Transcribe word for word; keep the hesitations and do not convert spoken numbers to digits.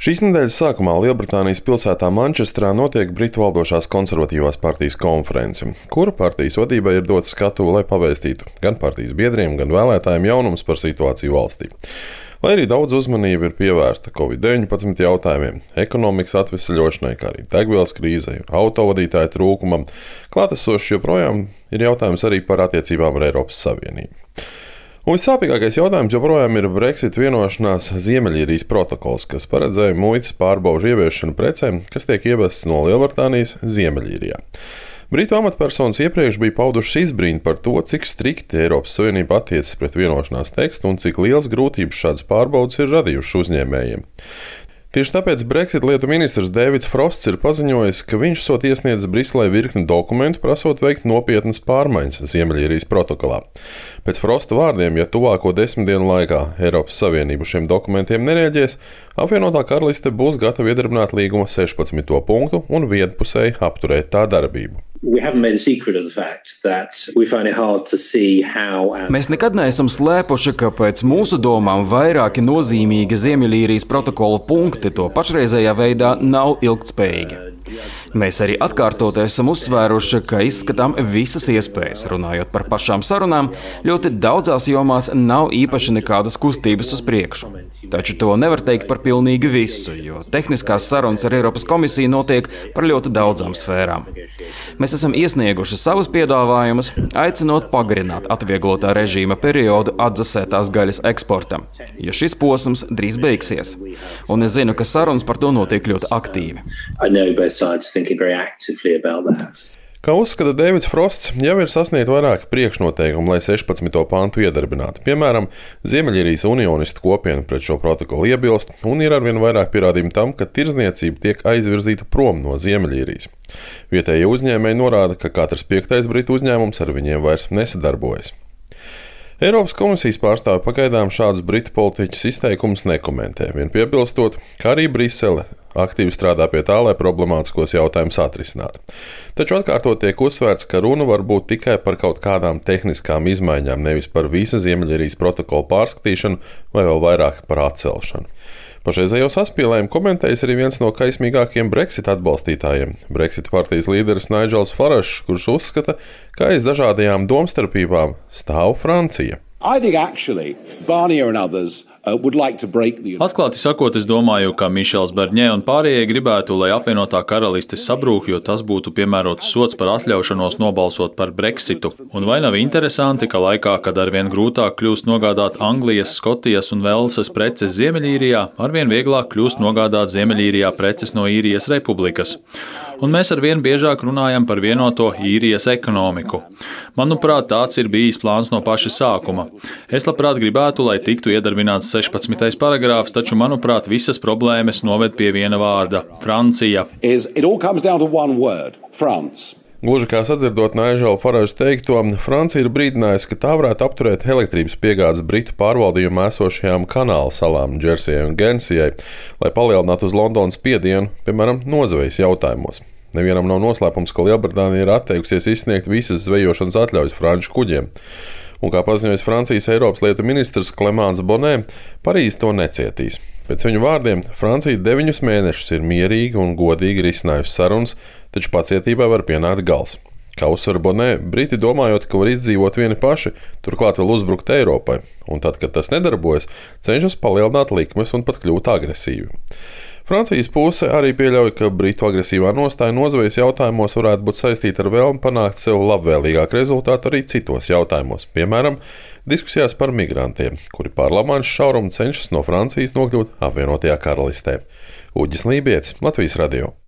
Šīs nedēļas sākumā Lielbritānijas pilsētā Mančestrā notiek Britu valdošās konservatīvās partijas konference, kura partijas vadībai ir dots skatuve, lai pavēstītu gan partijas biedriem, gan vēlētājiem jaunumus par situāciju valstī. Lai arī daudz uzmanība ir pievērsta covid deviņpadsmit jautājumiem, ekonomikas atvesaļošanai, kā arī degvielas krīzei un autovadītāju trūkumam, klātesošs joprojām ir jautājums arī par attiecībām ar Eiropas Savienību. Un vissāpīgākais jautājums joprojām ir Brexit vienošanās Ziemeļīrijas protokols, kas paredzēja muitas pārbaužu ieviešanu precēm, kas tiek ievestas no Lielbritānijas Ziemeļīrijā. Britu amatpersonas iepriekš bija paudušas izbrīnu par to, cik strikti Eiropas Savienība attiecas pret vienošanās tekstu un cik liels grūtības šādas pārbaudas ir radījušas uzņēmējiem. Tieši tāpēc Brexit lietu ministrs Dēvids Frosts ir paziņojis, ka viņš esot iesniedzis Briselē virkni dokumentu, prasot veikt nopietnas pārmaiņas Ziemeļīrijas protokolā. Pēc Frosta vārdiem, ja tuvāko desmit dienu laikā Eiropas Savienība šiem dokumentiem nereaģēs, apvienotā karaliste būs gatava iedarbināt līguma sešpadsmito punktu un vienpusēji apturēt tā darbību. Mēs nekad neesam slēpuši, ka pēc mūsu domām vairāki nozīmīgi Ziemeļīrijas protokola punkti to pašreizējā veidā nav ilgtspējīgi. Mēs arī atkārtot esam uzsvēruši, ka izskatām visas iespējas. Runājot par pašām sarunām, ļoti daudzās jomās nav īpaši nekādas kustības uz priekšu. Taču to nevar teikt par pilnīgi visu, jo tehniskās sarunas ar Eiropas komisiju notiek par ļoti daudzām sfērām. Mēs esam iesnieguši savus piedāvājumus, aicinot pagarināt atvieglotā režīma periodu atdzesētās gaļas eksportam, jo šis posms drīz beigsies. Un es zinu, ka sarunas par to notiek ļoti aktīvi. Kā uzskata Dēvids Frosts, jau ir sasniegt vairāki priekšnoteikumi, lai sešpadsmito pantu iedarbinātu. Piemēram, Ziemeļīrijas unionistu kopiena pret šo protokolu iebilst, un ir arvien vairāk pierādījumu tam, ka tirdzniecība tiek aizvirzīta prom no Ziemeļīrijas. Vietējie uzņēmēji norāda, ka katrs piektais britu uzņēmums ar viņiem vairs nesadarbojas. Eiropas komisijas pārstāve pagaidām šādus britu politiķus izteikumus nekomentē, vien piebilstot, ka arī Brisele aktīvi strādā pie tā, lai problemātiskos jautājumus atrisinātu. Taču atkārtot tiek uzsvērts, ka runa var būt tikai par kaut kādām tehniskām izmaiņām, nevis par visa Ziemeļīrijas protokola pārskatīšanu vai vēl vairāk par atcelšanu. Pašreizējo saspīlējumu komentējis arī viens no kaismīgākajiem Brexit atbalstītājiem – Brexit partijas līderis Nigels Farages, kurš uzskata, ka aiz dažādajām domstarpībām stāv Francija. Atklāti sakot, es domāju, ka Mišels Barņē un pārējie gribētu, lai apvienotā karaliste sabrūk, jo tas būtu piemērots sods par atļaušanos nobalsot par Brexitu. Un vai nav interesanti, ka laikā, kad arvien grūtāk kļūst nogādāt Anglijas, Skotijas un Velsas preces Ziemeļīrijā, arvien vieglāk kļūst nogādāt Ziemeļīrijā preces no Īrijas republikas. Un mēs arvien biežāk runājam par vienoto Īrijas ekonomiku. Manuprāt, tāds ir bijis plāns no paša sākuma. Es labprāt gribētu, lai tiktu iedarbināts sešpadsmitais paragrāfs, taču, manuprāt, visas problēmas noved pie viena vārda – Francija. Gluži kā sadzirdot Nigela Faragea teikto, Francija ir brīdinājusi, ka tā varētu apturēt elektrības piegādes Britu pārvaldījumā esošajām kanāla salām Džersijai un Gensijai, lai palielinātu uz Londonas spiedienu, piemēram, nozvejas jautājumos. Nevienam nav noslēpums, ka Lielbritānija ir atteikusies izsniegt visas zvejošanas atļaujas franču kuģiem. Un kā paziņojis Francijas Eiropas lietu ministrs Clemens Bonnet, Parīze to necietīs. Pēc viņu vārdiem, Francija deviņus mēnešus ir mierīgi un godīgi risinājusi sarunas, taču pacietībai var pienākt gals. Kā uzsver Bonnet, Briti domājot, ka var izdzīvot vieni paši, turklāt vēl uzbrukt Eiropai, un tad, kad tas nedarbojas, cenšas palielināt likmes un pat kļūt agresīvi. Francijas puse arī pieļauj, ka Britu agresīvā nostāja nozvejas jautājumos varētu būt saistīta ar vēlmi panākt sev labvēlīgāku rezultātu arī citos jautājumos, piemēram, diskusijās par migrantiem, kuri pār Lamanša šaurumu cenšas no Francijas nokļūt apvienotajā karalistē. Uģis Lībietis, Latvijas radio.